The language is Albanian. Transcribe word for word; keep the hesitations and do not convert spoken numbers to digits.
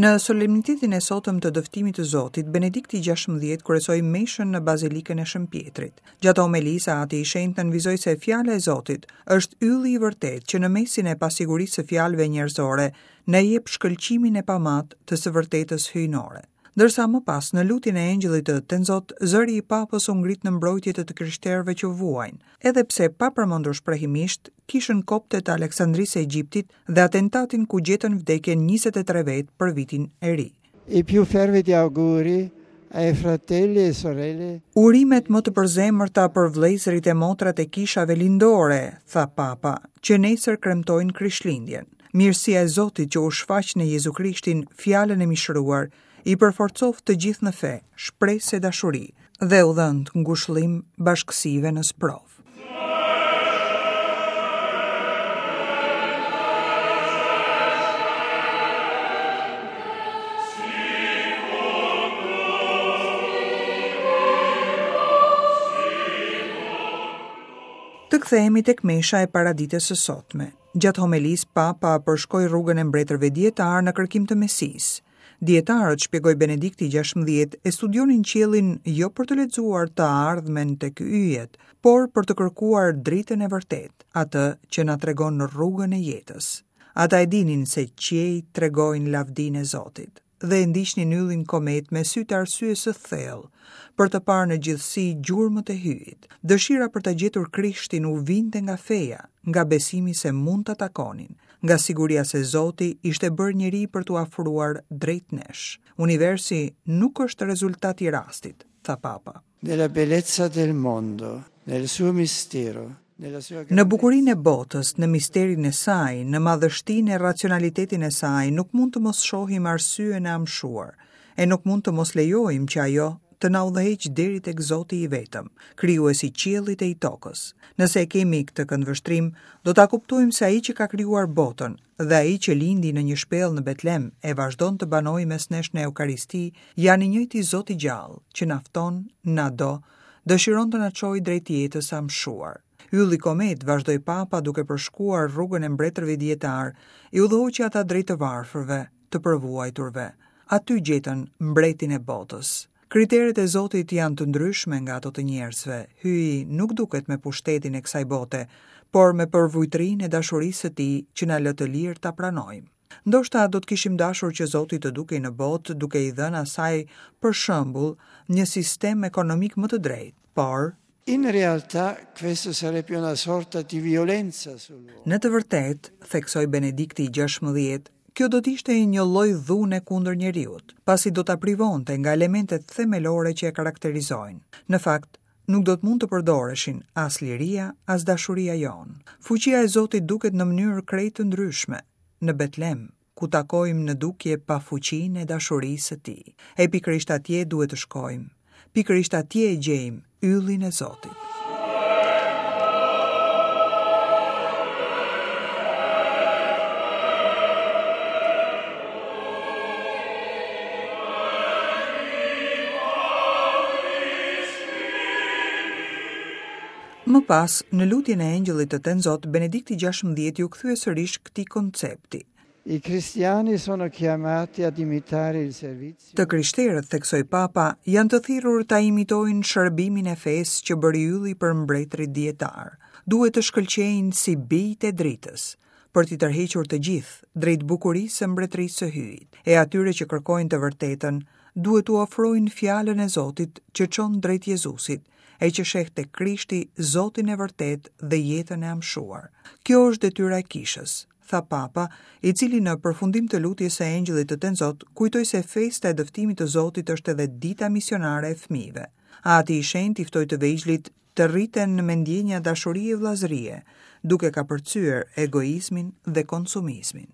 Në solemnitetin e sotëm të dëftimit të Zotit, Benedikti gjashtëmbëdhjetë kryesoi meshën në Bazilikën e Shën Pjetrit. Gjatë homelisë, Ati i Shenjtë nënvizoi se fjala e Zotit është ylli i vërtetë që në mesin e pasigurisë së fjalëve njerëzore na jep shkëlqimin e pamat të së vërtetës hyjnore. Ndërsa më pas, në lutjen e engjëllit të Tenzot, zëri i papës u ngrit në mbrojtje të të krishterëve që vuajnë, edhe pse pa përmendur shprehimisht kishën kopte të Aleksandrisë së Egjiptit dhe atentatin ku gjetën vdekjen njëzet e tre vetë për vitin e ri. I più fervidi auguri ai fratelli e sorelle. Urimet më të përzemërta për vëllezërit e motrat e kishave lindore, tha Papa, që nesër kremtojnë Krishtlindjen. Mirësia e Zotit që u shfaq në Jezu Krishtin, fjalën e mishëruar, i përforcoftë të gjithë në fe, shpresë e dashuri dhe u dhëntë ngushëllim bashkësive në sprovë. Të kthehemi tek mesha e paradites së sotme. Gjatë homelisë, Papa përshkoi rrugën e mbretërve dietar në kërkim të Mesisë. Dietarët, shpjegoi Benedikti gjashtëmbëdhjetë, e studionin qiellin jo për të lexuar të ardhmen tek yjet, por për të kërkuar dritën e vërtetë, atë që na tregon rrugën e jetës. Ata e dinin se qiejt tregojnë lavdinë e Zotit dhe e ndiqnin yllin komet me sytë e arsyes së thellë, për të parë në gjithësi gjurmët e hyjit. Dëshira për ta gjetur Krishtin u vinte nga feja, nga besimi se mund ta takonin, nga siguria se Zoti ishte bërë njeri për t'u afruar drejt nesh. Universi nuk është rezultat i rastit, tha Papa. Nella bellezza del mondo, nel suo mistero, nella sua Në bukurinë e botës, në misterin e saj, në madhështinë e racionalitetin e saj, nuk mund të mos shohim arsyen e amshuar, e nuk mund të mos lejojmë që ajo të na udhëheq deri tek Zoti i vetëm, krijuesi i qiellit e i tokës. Nëse e kemi këtë këndvështrim, do ta kuptojmë se ai që ka krijuar botën dhe ai që lindi në një shpellë në Betlem e vazhdon të banojë mes nesh në Eukaristi, janë i njëjti Zot i gjallë që na fton, na do, dëshiron të na çojë drejt jetës së amshuar. Ylli komet, vazhdoi Papa duke përshkuar rrugën e mbretërve dietar, i udhëhoqi ata drejt të varfërve, të përvuajturve. Aty gjetën mbretin e botës. Kriteret e Zotit janë të ndryshme nga ato të njerëzve. Hyji nuk duket me pushtetin e kësaj bote, por me përvujtrinë e dashurisë së tij që na lë të lirë ta pranojmë. Ndoshta do të kishim dashur që Zoti të dukej në botë duke i dhënë asaj, për shembull, një sistem ekonomik më të drejtë, por In realtà questo sarebbe una sorta di violenza sull'uomo. Në të vërtetë, theksoi Benedikti i gjashtëmbëdhjetë, kjo do të ishte një lloj dhune kundër njeriut, pasi do ta privonte nga elementet themelore që e karakterizojnë. Në fakt, nuk do të mund të përdoreshin as liria, as dashuria jonë. Fuqia e Zotit duket në mënyrë krejt të ndryshme në Betlem, ku takojmë në dukje pafuqinë e dashurisë së tij. E pikërisht atje duhet të shkojmë. Pikërisht atje e gjejmë yllin e Zotit. Më pas, në lutjen e engjëllit të Tenzot, Benedikti gjashtëmbëdhjetë ju kthye sërish këtij koncepti. I cristiani sono chiamati ad imitare il servizio. Të krishterët, theksoi Papa, janë të thirrur ta imitojnë shërbimin e fesë që bëri ylli për mbretërit dietar. Duhet të shkëlqejnë si bijtë e dritës, për t'i tërhequr të gjithë drejt bukurisë së mbretërisë së Hyjit. E atyre që kërkojnë të vërtetën, duhet t'u ofrojnë fjalën e Zotit që çon drejt Jezusit, e që sheh tek Krishti Zotin e vërtet dhe jetën e amshuar. Kjo është detyra e kishës, tha Papa, i cili në përfundim të lutjes së engjëllit të Tenzot kujtoi se festa e dëftimit të Zotit është edhe dita misionare e fëmijëve. Ati i Shenjtë i ftoi të vegjlit të rriten me ndjenja dashurie e vëllazërie, duke kapërcyer egoizmin dhe konsumizmin.